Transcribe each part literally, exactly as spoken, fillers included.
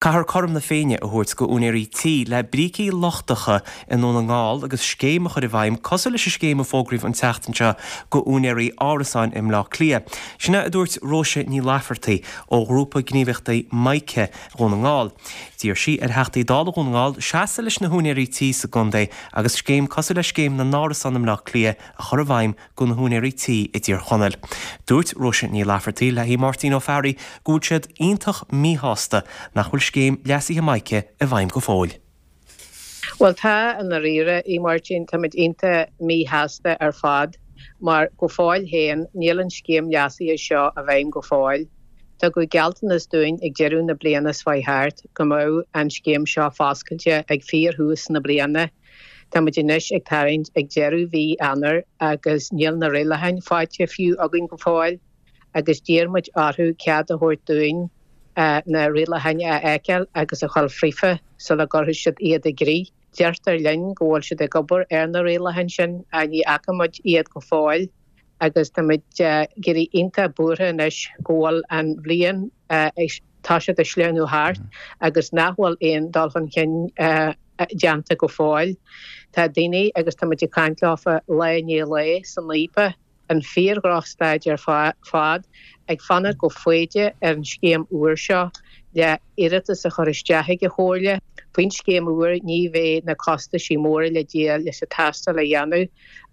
Caithfear cothrom na Féinne a thabhairt go úinéirí tí le brící lochtacha i nDún na nGall agus scéim a chur i bhfeidhm cosúil leis an scéim a fógraíodh an tseachtain seo go úinéirí árasáin i mBleá Cliath. Sin a dúirt Róise Ní Laifeartaigh ó ghrúpa gníomhaíochta Mica Dhún na nGall. D'iarr sí ar Theachtaí Dála Dhún na nGall seasamh leis na húinéirí tí sa gcontae agus scéim cosúil le scéim na n-árasán i mBleá Cliath a chur i bhfeidhm go na húinéirí tí i dTír Chonaill. Dúirt Róise Ní Laifeartaigh le hí Máirtín Ó Fearraigh go bhfuil siad iontach míshásta nach bhfuil scéim leasaithe Mica i bhfeidhm go fóill. Well tá an riire í Martin táimid iontach míshásta ar fad mar go fóill féin níl an scéim leasaithe seo i bhfeidhm go fóill. Tugadh gealltanas dúinn ag deireadh na bliana seo thart go mbeadh an scéim seo foscailte ag fíorthús na bliana. Táimid anois ag tarraingt ag deireadh mhí Eanáir agus níl na rialacháin faighte fiú againn go fóill agus d'iarr muid orthu cead a thabhairt dúinn na rialacháin a fheiceáil agus a chur fríofa sula gcuirfidh siad iad i gcrích. Deirtear linn go bhfuil siad ag obair ar na rialacháin sin a ní fhaca muid iad go fóill agus táimid ag éirí iontach buartha anois go bhfuil an bhliain tá siad ag sleamhnú thart agus nach bhfuil aon dul chun cinn déanta go fóill. Tá daoine agus táimid ag caint leofa lá i ndiaidh lae san IPA an fíordhrochstaid ar fad ag fanacht go foighdeach ar an scéim úr seo le iarratas a chur isteach ag an Chomhairle. Faoin scéim úr ní bheidh na costaisí móra le díol leis an tástáil a dhéanamh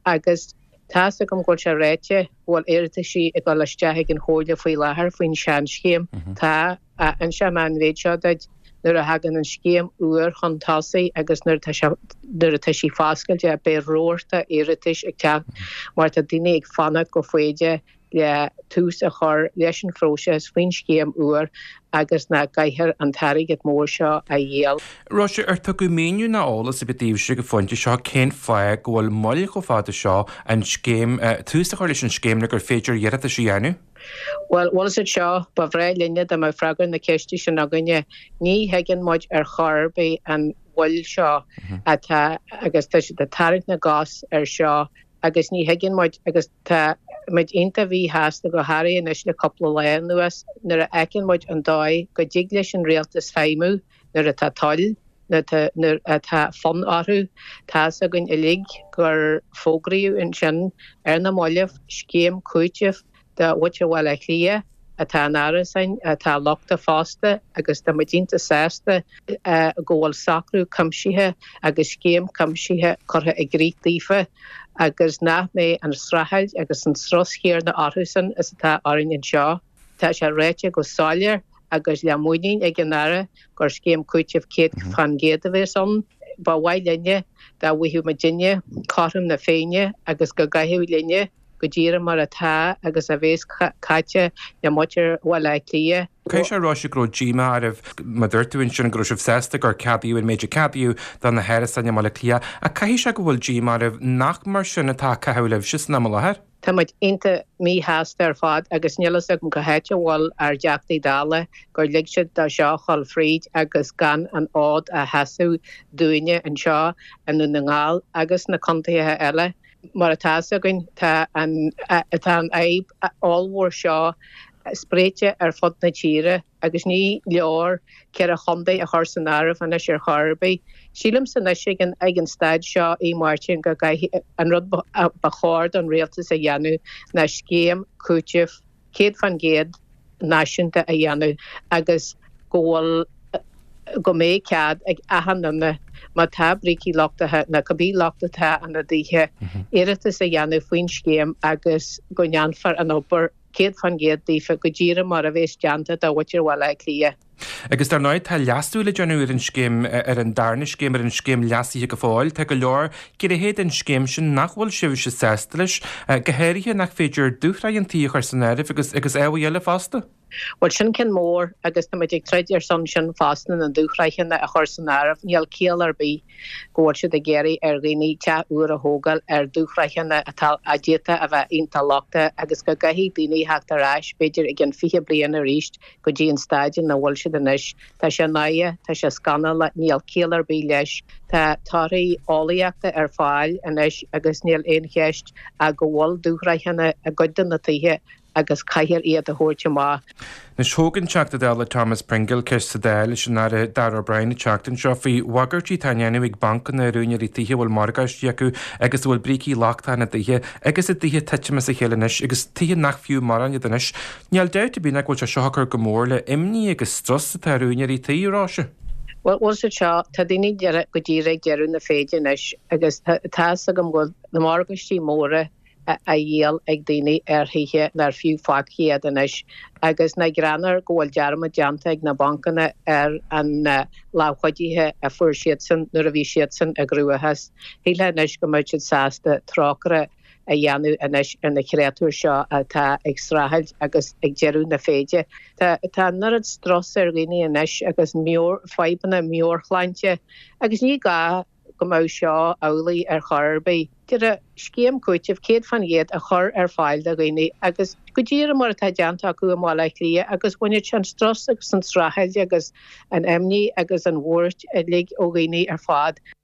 agus tá's agam go bhfuil sé ráite go bhfuil iarrataisí ag dul isteach ag an Chomhairle faoi láthair faoin seanscéim. Tá inseoidh mé an mhéid seo duit nuair a thagann an scéim úr chun tosaigh agus nuair atá sé nuair atá sí foscailte beidh rabharta iarratais ag teacht mar tá daoine ag fanacht go foighdeach le tús a chur leis an phróiseas faoin scéim úr agus nach gcaithfear an t-airgead mór seo a dhíol. Róise, ar tugadh míniú ná eolas ar bith daoibhse ag an phointe seo cén fáth go bhfuil moill chomh fada seo an scéim tús a chur leis an scéim le gur féidir iarratais a dhéanamh? Well bhfuil siad seo ba bhreá linne dá mbeadh freagra na ceiste sin againne. Ní thuigeann muid ar chor ar bith an mhoill seo atá agus tá siad ag tarraingt na gcos ar seo agus ní thuigeann muid agus tá muid iontach mhíshásta go háirithe anois le cúpla lá anuas nuair a fheiceann muid an dóigh go dtig leis an rialtas feidhmiú nuair atá toil nuair atá fonn orthu. Tá's againn uilig gur fógraíodh ansin ar na mallaibh scéim cúitimh do mhuintir Bhaile Átha Cliath atá in árasáin atá lochtach fosta agus tá muid iontach sásta go bhfuil socrú cuimsithe agus scéim cuimsithe curtha i gcrích daofa agus nach mbeidh an streachailt agus an strus chéanna orthusan is atá orainn anseo. Tá sé ráite go soiléir agus le muinín ag an Aire gur scéim cúitimh céad faoin gcéad a bheas ann. Ba mhaith linne dá bhfaigheadh muidinne cothrom na Féinne agus go gcaitheadh linne go díreach mar atá agus a bheas caite le muintir Bhaile Átha Cliath. Caithfidh sé a rá go raibh díomá oraibh mar dúirt tú ansin go raibh sibh sásta gur ceadaíodh an méid a ceadaíodh do na hárasáin i mBaile Átha Cliath, ach caithfidh sé go bhfuil díomá oraibh nach mar sin atá á caitheamh libhse san am i láthair. Tá muid iontach míshásta ar fad agus níl fhios agam cá háit a bhfuil ár dTeachtaí Dála gur lig siad dó seo a dhul fríd agus gan an fhód a sheasamh dúinne anseo i nDún na nGall agus na contaetha eile. Mar atá fhios againn tá an tá an fhadhb ollmhór seo spréite ar fud na tíre agus ní leor ceithre chontae a chur san áireamh anois ar chor ar bith. Sílimse anois ag an ag an staid seo í Máirtín go gcaithfidh an rud ba chóir don rialtas a dhéanamh ná scéim cúitimh céad faoin gcéad náisiúnta a dhéanamh agus go bhfuil go mbeidh cead ag achan duine má tá brící lochtacha nó cibé locht atá ina dtithe iarratas a dhéanamh faoin scéim agus go ndéanfar an obair céad faoin gcéad daofa go díreach mar a bheas déanta do mhuintir Bhaile Átha Cliath. Agus dar ndóigh tá leasú le déanamh ar an scéim ar an darna scéim ar an scéim leasaithe go fóill. Tá go leor gnéithe den scéim sin nach bhfuil sibhse sásta leis, go háirithe nach féidir dúshraith an tí a chur san áireamh agus agus ábhair eile fosta. Well sin ceann mór agus tá muid ag troid ar son sin fosta na dúshraitheanna a chur san áireamh. Níl ciall ar bith go bhfuil siad ag iarraidh ar dhaoine teach úr a thógáil ar dúshraitheanna atá a d'fhéadfadh a bheith iontach lochtach agus go gcaithfidh daoine theacht ar ais b'fhéidir i gcionn fiche bliain arís go dtí an staid ina bhfuil siad anois. Tá sé náireach, tá sé scannalach, níl ciall ar bith leis. Tá torthaí eolaíochta ar fáil anois agus níl aon cheist ach go bhfuil dúshraitheanna i gcuid de na tithe agus caithfear iad a thabhairt amach. Anois thóg an Teachta Dála Thomas Pringle ceist sa Dáil leis an Aire Darragh O'Brien an tseachtain seo faoi bhagairtí atá á ndéanamh ag bancanna ar úinéirí tithe a bhfuil morgáistí acu agus a bhfuil brící lochtacha ina dtithe agus a dtithe ag titim as a chéile anois agus tithe nach fiú mórán iad anois. Níl dabht ar bith nach bhfuil sé seo ag cur go mór le imní agus strus atá ar úinéirí tí, a Róise. Bhuel, bhfuil siad seo, tá daoine go díreach ag deireadh na féide anois agus tá fhios agam go bhfuil na morgáistí móra á dhíol ag daoine ar thithe nár fiú faic iad anois agus nach greannmhar go bhfuil dearmad déanta ag na bancanna ar an lámh chuidithe a fuair siadsan nuair a bhí siadsan i gcruachás. Shílfeá anois go mbeadh siad sásta trócaire a dhéanamh anois ar na créatúir seo atá ag streachailt agus ag deireadh na féide. Tá tá an oiread strus ar dhaoine anois agus meabhair fadhbanna meabhairshláinte agus ní gá go mbeadh seo amhlaidh ar chor ar bith. Deireadh scéim cúitimh céad faoin gcéad a chur ar fáil do dhaoine agus go díreach mar atá déanta acu i mBaile Átha Cliath agus bhainfeadh sé an strus agus an streachailt agus an imní agus an bhuairt uilig ó dhaoine ar fad.